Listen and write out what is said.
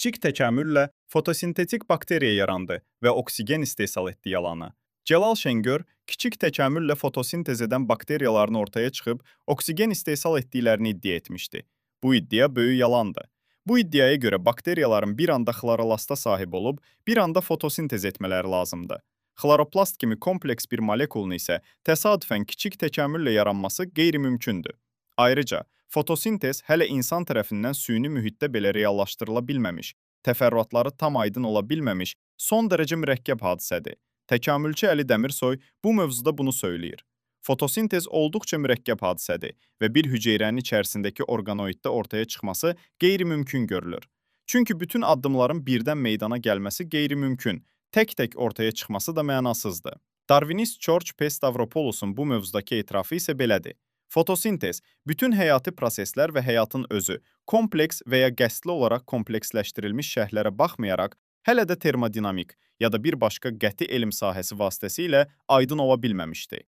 kiçik təkamüllə fotosintetik bakteriya yarandı və oksigen istehsal etdi yalanı. Cəlal Şengör kiçik təkamüllə fotosintez edən bakteriyaların ortaya çıxıb oksigen istehsal etdiklərini iddia etmişdi. Bu iddia böyük yalandır. Bu iddiaya görə bakteriyaların bir anda xlorolasta sahib olub, bir anda fotosintez etmələri lazımdır. Xloroplast kimi kompleks bir molekulun isə təsadüfən kiçik təkamüllə yaranması qeyri-mümkündür. Ayrıca, fotosintez hələ insan tərəfindən süni mühitdə belə reallaşdırıla bilməmiş, təfərrüatları tam aydın ola bilməmiş, son dərəcə mürəkkəb hadisədir. Təkamülçü Əli Dəmirsoy bu mövzuda bunu söyləyir. Fotosintez olduqca mürəkkəb hadisədir və bir hüceyrənin içərisindəki orqanoiddə ortaya çıxması qeyri-mümkün görülür. Çünki bütün addımların birdən meydana gəlməsi qeyri-mümkün, tək-tək ortaya çıxması da mənasızdır. Darwinist George P. Stavropoulosun bu mövzudakı etirafı isə belədir. Fotosintez bütün həyati proseslər və həyatın özü, kompleks və ya qəsdli olaraq kompleksləşdirilmiş şərhlərə baxmayaraq, hələ də termodinamik ya da bir başqa qəti elm sahəsi vasitəsilə aydın ola bilməmişdi.